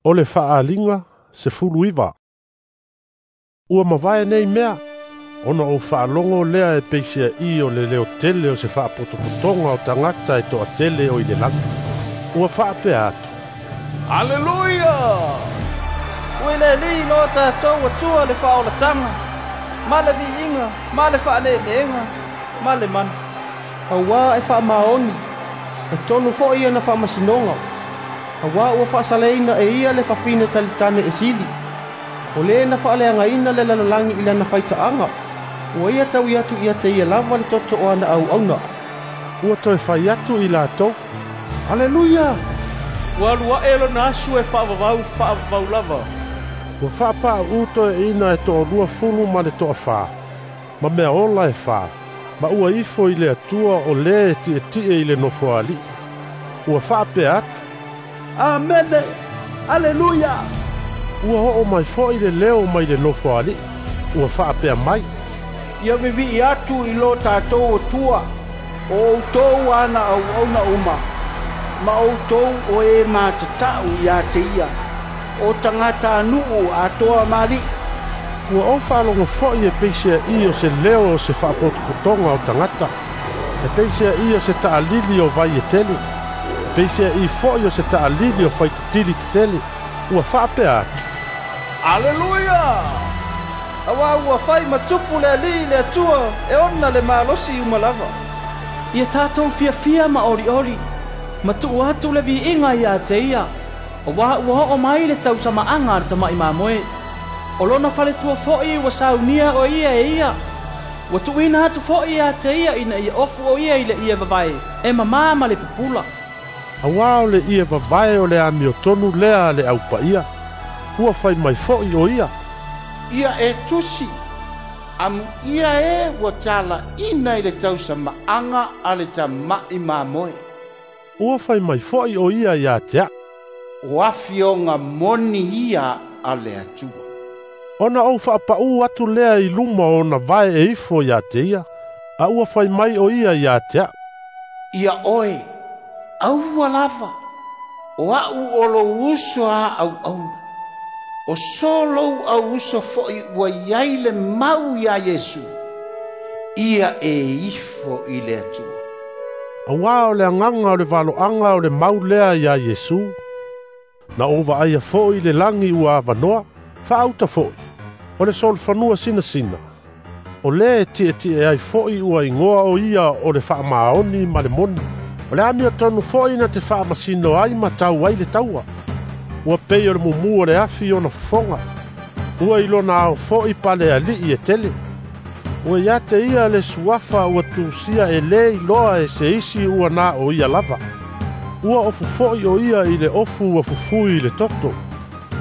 O le faaaliga 19. Ua mavae nei mea, ona ou faalogo lea e peisea'i o le leotele o se faapotopotoga o tagata e toatele o i le lagi. Ua faapea atu, Aleluia! Ua i le Alii lo tatou Atua le faaolataga, ma le viiga, ma le faaneeneega, ma le mana. Auā e faamaoni, e tonu fo'i ana faamasinoga, auā ua faasaleina e ia le fafine talitane e sili. O lē na faaleagaina le lalolagi i lana faitaaga, ua ia taui atu ia te ia lava le toto o ana auauna. Ua toe fai atu i latou, Aleluia! Ua alu aʻe lona aso e faavavau faavavau lava. Ua faapaʻuʻu toeaʻina e 20 ma le 24, ma mea ola e 4, ma ua ifo i le Atua o lē e tiʻetiʻe i le nofoalii. Ua faapea atu, Amene! Aleluia! Ua oo mai fo'i le leo mai le nofoalii. Ua faapea mai, Ia vivi'i atu i lo tatou Atua, o outou ana auauna uma, ma outou o e matata'u iā te ia, o tagatanuu atoa ma alii. Ua ou faalogo fo'i e peisea'i o se leo o se faapotopotoga o tagata, e peisea'i o se taʻalili o vai e tele, e peisea'i fo'i o se taʻalili o faitetili tetele. Ua faapea atu, Aleluia! Auā ua fai ma tupu le Alii le Atua e ona le malosi uma lava. Ia tatou fiafia ma olioli, ma tuu atu le viiga iā te ia, auā ua oo mai le tausamaaga a le tamaʻi mamoe. O lona faletua fo'i ua saunia o ia e ia. Ua tuuina atu fo'i iā te ia ina ia ofu o ia i le ie vavae, e mamā ma le pupula. Auā o le ie vavae o le amiotonu lea a le aupaia. Ua fai mai fo'i o ia, Ia e tusi, amuia e ua talaʻina i le tausamaaga a le tamaʻi mamoe. Ua fai mai fo'i o ia iā te aʻu, O afioga moni ia a le Atua. Ona ou faapaʻu atu lea i luma o ona vae e ifo iā te ia, a ua fai mai o ia iā te aʻu, Ia oe, aua lava, o aʻu o lou uso a auauna. O so lou auuso fo'i ua iai le mau iā Iesu, ia e ifo i le Atua. Auā o le agaga o le valoaga o le mau lea iā Iesu. Na ou vaaia fo'i le lagi ua avanoa, faauta fo'i, o le solofanua sinasina. O lē e tiʻetiʻe ai fo'i ua igoa o ia o le Faamaoni ma le Moni. O le amiotonu fo'i na te faamasino ai ma tau ai le taua. Ua pei o le mumu o le afi ona fofoga. Ua i lona ao fo'i pale aliʻi e tele. Ua ia te ia le suafa ua tusia e lē iloa e se isi ua na o ia lava. Ua ofu fo'i o ia i le ofu ua fufui i le toto.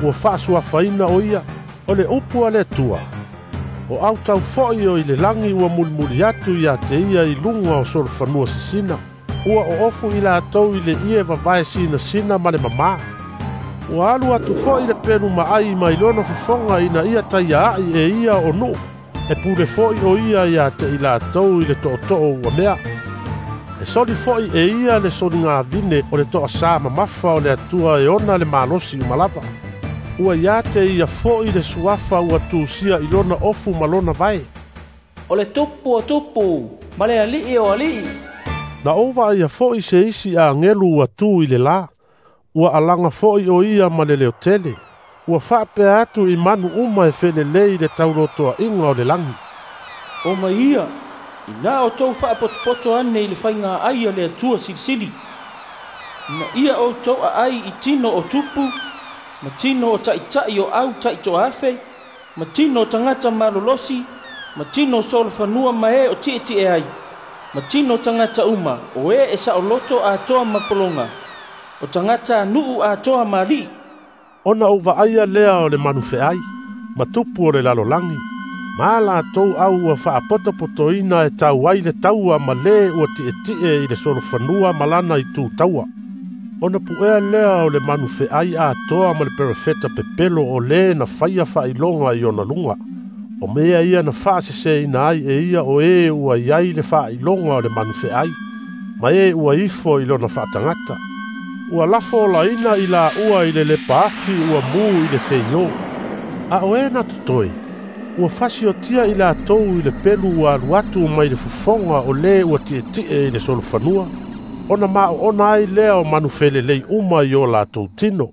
Ua faasuafaina o ia, o le upu a le Atua. O autau fo'i o i le lagi ua mulimuli atu iā te ia i luga o solofanua sisina. Ua oofu i latou i le ie vavae sinasina ma le mamā. Ua alu atu fo'i le pelu maʻai mai lona fofoga ina ia taiaaʻi e ia o nuu. E pule fo'i o ia iā te i latou i le tootoo ua mea. E soli fo'i e ia le soligavine o le toasā mamafa o le Atua e ona le malosi uma lava. Ua ia te ia fo'i le suafa ua tusia i lona ofu ma lona vae. O le tupu o tupu, ma le alii o alii. Na ou vaaia fo'i se isi agelu ua tu i le lā. Ua alaga fo'i o ia ma le leotele. Ua faapea atu i manu uma e felelei i le taulotoaʻiga o le lagi. O mai ia, inā outou faapotopoto ane i le faigāʻai a le Atua Silisili, ina ia outou aʻai i tino o tupu, ma tino o taʻitaʻi o au taʻitoafe, ma tino o tagata malolosi, ma tino o solofanua ma e o tiʻetiʻe ai, ma tino o tagata uma o e e saʻoloto atoa ma pologa, o tagatanuu atoa ma alii. Ona ou vaaia lea o le manufeʻai, ma tupu o le lalolagi, ma latou au ua faapotopotoina e tau ai le taua ma lē ua tiʻetiʻe i le solofanua ma lana itu taua. Ona puʻea lea o le manufeʻai atoa ma le perofeta pepelo o lē na faia faailoga i ona luga. O mea ia na faaseseina ai e ia o e ua iai le faailoga o le manufeʻai, ma e ua ifo i lona faatagata. Ua lafo olaina i laua i le lepaafi ua mu i le teio. A o e na totoe, ua fasiotia i latou i le pelu ua alu atu mai le fofoga o le ua tietie i le solofanua, ona maoona ai lea o manu felelei uma i o latou tino.